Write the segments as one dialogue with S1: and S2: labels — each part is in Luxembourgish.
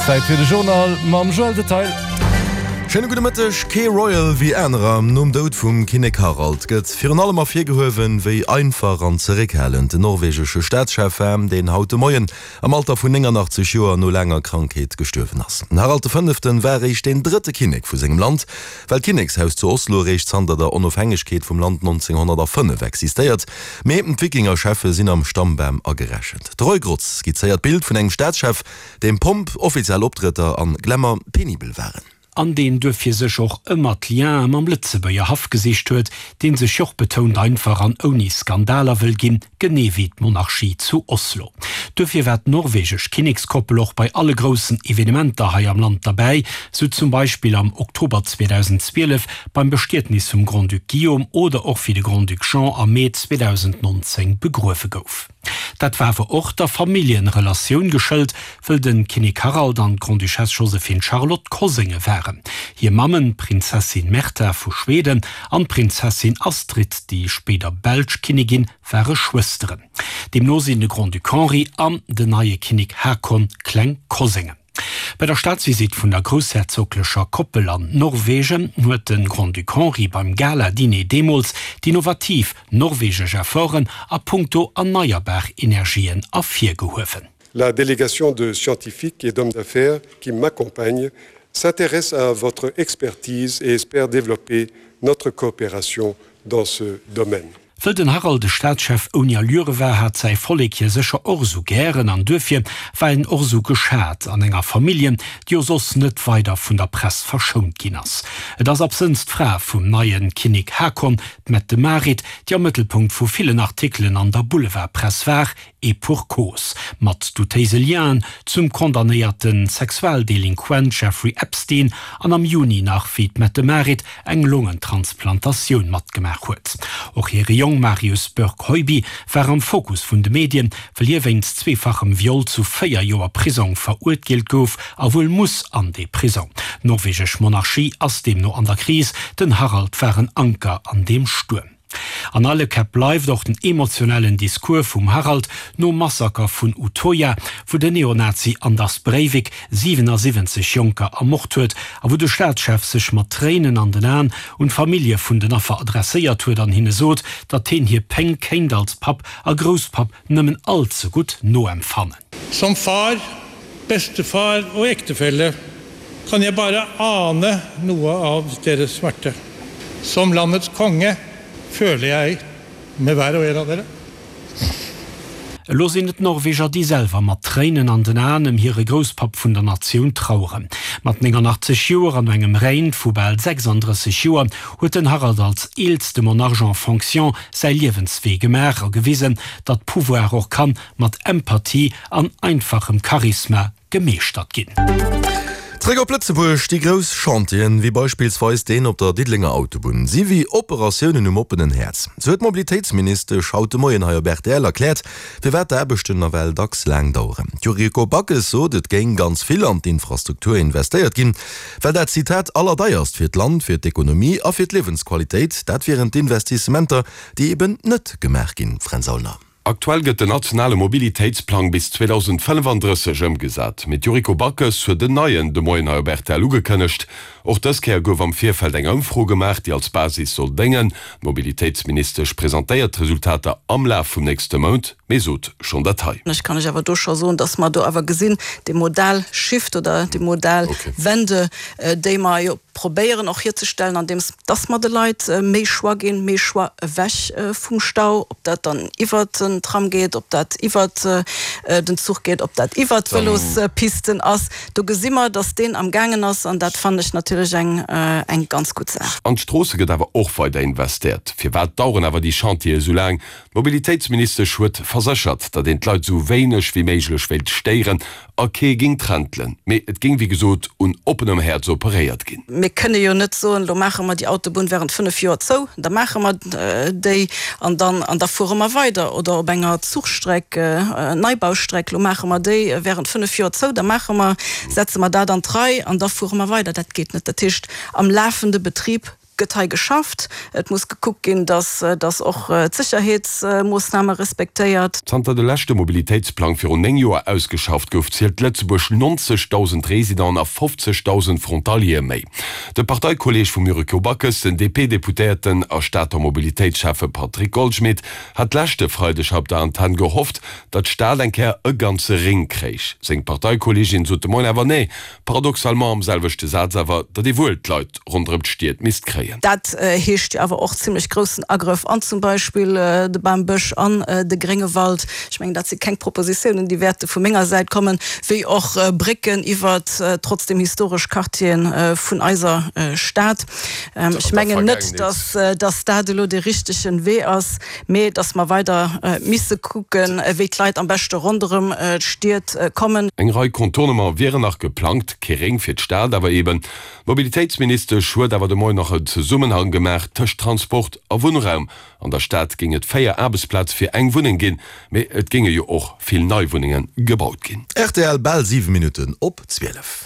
S1: Zäit fir de Journal mam Joël Detail.
S2: Schéine gudde Mëtteg. Kee Royal wéi anerer. Nom Doud vum Kinnek Harald gëtt virun allem ervirgehuewen, wéi einfach an zeréckhalend den norwegesche Staatschef war, deen haut de Moien am Alter vun 89 Joer no laanger Krankheet gestuerwen ass. Den Harald de Fënneften war eréischt deen drëtte Kinnek vu sengem Land, well d'Kinnekshaus zu Oslo eréischt zanter der Onofhängegkeet vum Land 1905 existéiert. Mee d'Wikingercheffe sinn am Stammbam agerechent. De Roy Grotz skizzéiert d'Bild vun engem Staatschef, deem Pomp, offiziell Optrëtter an Glamour penibel waren.
S3: An deen duerfir sech och ëmmer d'Lienen mam Lëtzebuerger Haff gesicht huet, deen sech joch betount einfach an ouni Skandaler wëll ginn, genee wéi d'Monarchie zu Oslo. Duerfir war d'norwegesch Kinnekskoppel och bei alle groussen Evenementer hei am Land derbäi, sou zum Beispill am Oktober 2012 beim Bestietnis vum Grand-Duc Guillaume oder och wéi de Grand-Duc Jean am Mee 2019 begruewe gouf. Dat war awer och der Familljenrelatioun geschëlt, wëll de Kinnek Harald an d'Grande-Duchesse Joséphine Charlotte Kosénge waren. Hir Mammen, d'Prinzessin Märtha vu Schweden an d'Prinzessin Astrid, déi spéider belsch Kinnigin, ware Schwësteren. Deemno sinn de Grand-Duc Henri an den neie Kinnek Haakon kleng Koséngen. Bei der Staatsvisitt vun der groussherzoglecher Koppel an Norwegen huet de Grand-Duc Henri beim Gala-Diner deemools d'innovativ norwegesch Efforten a puncto erneierbar Energien ervirgehuewen.
S4: La délégation de scientifiques et d'hommes d'affaires qui m'accompagne s'intéresse à votre expertise et espère développer notre coopération dans ce domaine.
S3: Wëll den Harald e Staatschef ouni Allure war, hat säi Vollek hie sécher och esou gären an duerfir war en och esou geschat an enger Familljen, déi jo soss net weider vun der Press verschount ginn ass. Et ass absënns d'Fra vum neie Kinnek Haakon, d'Mette-Marit, déi am Mëttelpunkt vu villen Artikelen an der Boulevardpress war, Et pour cause, mat doutéise Lienen zum condamnéierte Sexualdelinquent Jeffrey Epstein an am Juni nach, wéi d'Mette-Marit eng Longentransplantatioun matgemaach huet. Och hire Jong Marius Børg-Høiby war am Fokus vun de Medien, wëll hie wéinst zweefachem Viol zu 4 Joer Prisong verurteelt gouf a wuel muss an dee Prisong. D'norwegesch Monarchie ass deemno an der Kris, den Harald war en Anker an deem Stuerm. An alle Käpp bleift och den emotionellen Discours vum Harald nom Massaker vun Utoya, wou den Neonazi Anders Breivik 77 Jonker ermort huet a wou de Staatschef sech mat Tréinen an den Aen un d'Famillje vun den Affer adresséiert huet an hinne sot, datt heen hir Péng kéint als Papp a Grousspapp nëmmen all ze gutt noempfannen.
S5: Som far, bestefar og ektefelle kan jeg bare ane noe av deres smerte. Som landets konge føler jeg med hver og en av dere.
S3: Elo sinn et d'Norweger, déi selwer mat Tréinen an den Aen ëm hire Grousspapp vun der Natioun traueren. Mat 89 Joer an no engem Règne vu bal 36 Joer huet den Harald als eelste Monarch en fonction säi Liewenswee gemaach a gewisen, datt Pouvoir och kann mat Empathie an einfachem Charisma gemeeschtert ginn.
S2: Zréck op Lëtzebuerg, Déi grouss Chantieren, wéi beispillsweis deen op der Diddelenger Autobunn, si wéi Operatiounen um oppenen Häerz. Sou huet d'Mobilitéitsministesch haut de Moien hei op rtl erkläert, firwat d'Aarbechten nawell dacks laang daueren. D'Yuriko Backes sot, et géing ganz vill an d'Infrastruktur investéiert ginn, well dat, Zitat, allerdeierst fir d'Land, fir d'Ekonomie a fir d'Liewensqualitéit, dat wieren d'Investissementer, déi eben net gemaach ginn. Fränz Aulner.
S6: Aktuell gëtt den nationale Mobilitéitsplang bis 2035 ëmgesat, mee d'Yuriko Backes huet en neien de Moien hei op rtl ugekënnegt. Och dës Kéier gouf am Virfeld eng Ëmfro gemaach, déi als Basis soll déngen. D'Mobilitéitsministesch presentéiert d'Resultater am Laf vum nächste Mount, mee sot schonn dat hei.
S7: Ech kann lech awer do scho soen, dass mer do awer gesinn, déi modal Shift oder déi modal Wende, déi mer jo probéieren och hierzestellen, andeems dass mer de Leit méi Choix ginn, méi Choix ewech vum Stau, ob dat dann iwwert den Tram geet, ob dat iwwert den Zuch geet, ob dat iwwert d'Vëlospisten ass. Do gesi mer, dass deen am gaangen ass an dat fannen ech natierlech eng eng ganz gutt Saach.
S6: An d'Stroosse gëtt awer och weider investéiert. Firwat daueren awer déi Chantiere esou laang? D'Mobilitéitsministesch huet verséchert, datt een d'Leit esou wéineg wéi méiglech wéilt stéieren a kee géing trentelen. Mee et géing wéi gesot un oppenem Häerz operéiert ginn.
S7: Mir kënne jo net soen, elo maache mer déi Autobunn während 5 Joer zou, da maache mer déi an dann an da fuere mer weider. Oder op enger Zuchstreck, Neibaustreck, elo maache mer déi während 5 Joer zou, da maache mer, setze mer dat an d'Rei an da fuere mer weider. Dat geet net. Dat heescht, am lafende Betrib. gëtt hei geschafft. Et muss gekuckt ginn, dass dass och d'Sécherheetsmoossname respektéiert.
S6: Zanter de leschte Mobilitéitsplang virun 9 Joer ausgeschafft gouf, zielt Lëtzebuerg 90.000 Residenten a 50.000 Frontaliere méi. De Parteikolleeg vum Yuriko Backes, den DP-Deputéierten a Stater Mobilitéitsschäffe Patrick Goldschmidt, hat leschte Freideg hei op der Antenn gehofft, datt d'Stad eng Kéier e ganze Ring kréich. Seng Parteikolleegin sot de Moien awer nee, paradoxalement am selwechte Saz awer, datt ee wuel d'Leit ronderëm d'Stied misst kréien.
S7: Dat heescht jo awer och zimlech groussen Agrëff an zum Beispill de Bambësch, an de Gréngewald. Ech mengen, dat si keng Propositiounen, déi wäerte vu menger Säit kommen, wéi och Brécken iwwert trotzdem historesch Quartiere vun eiser Stad. Ech mengen net, dass dat elo dee richtegen Wee ass, mee dass mer weider misse kucken, wéi d'Leit am beschte ronderëm d'Stied kommen.
S6: Eng Rei Contournementen wieren nach geplangt, kee Réng fir d'Stad awer eben. D'Mobilitéitsministesch huet awer de Moien nach en Zesummenhang gemaach tëscht Transport a Wunnraum. An der Stad géing et 4 Aarbechtsplaze fir eng Wunneng ginn, mee et géinge jo och vill nei Wunnenge gebaut ginn.
S2: Rtl, Bal 7 Minutten op 12.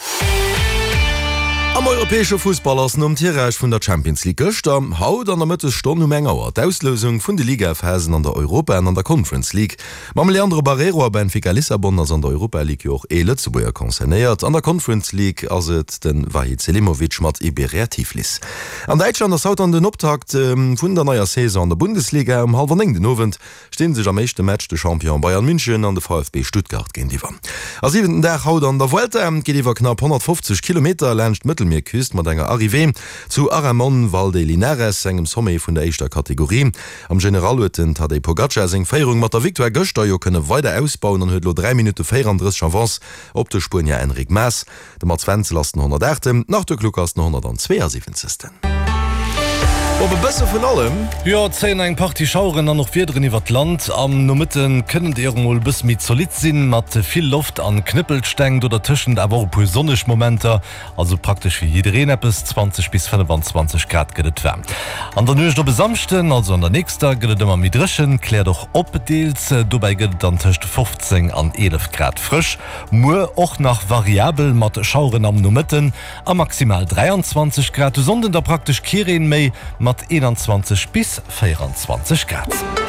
S2: Am europäesche Fussball ass nom Tirage vun der Champions League gëschter, haut an der Mëttesstonn um eng Auer d'Auslousung vun de Ligaphasen an der Europa an an der Conference League. Mam Leandro Barreiro a Benfica Lissabon ass an der Europa League jo och ee Lëtzebuerger concernéiert. An der Conference League ass et de Vahid Selimovic mat Iberia Tiflis. An Däitschland ass haut dann den Optakt vun der neier Saison an der Bundesliga. Um hallwer 9 den Owend sti sech am éischte Match de Champion Bayern München an de VfB Stuttgart géintiwwer. A siwenten Dag haut an der Vuelta geet iwwer knapp 150 Kilometer laanscht d'Mëttelmierküst mat enger Arrivée zu Aramon Valdelinares, engem Sommet vun der éischter Kategorie. Am General huet den Tadej Pogacar seng Féierung mat der Victoire gëschter jo kënne weider ausbauen an huet elo 3 Minutte 34 Avance op de Spuenier Enric Mas. De Mats Wenzel ass den 108. Den Arthur Kluck ass den 172. Op e bësse vun allem.
S1: Jo, et zéien eng Partie Schaueren an och Wiederen iwwert d'Land. Am Nomëtte kënnen déi och emol e bësse méi zolidd sinn, mat vill Loft an Knëppelsteng, do dertëschent awer och e puer sonneg Momenter. Also praktesch fir jiddereen eppes, 20 bis 25 Grad gëtt et waarm. An der Nuecht op e Samschden, also an der nächster, gëtt et ëmmer méi dréchen, kläert och op deels. Dobäi gëtt et dann tëscht 15 an 11 Grad frësch. Muer och nach variabel mat Schaueren am Nomëtten a maximal 23 Grad. De Sonnden da praktesch kee Reen méi mat 21 bis 24 Grad.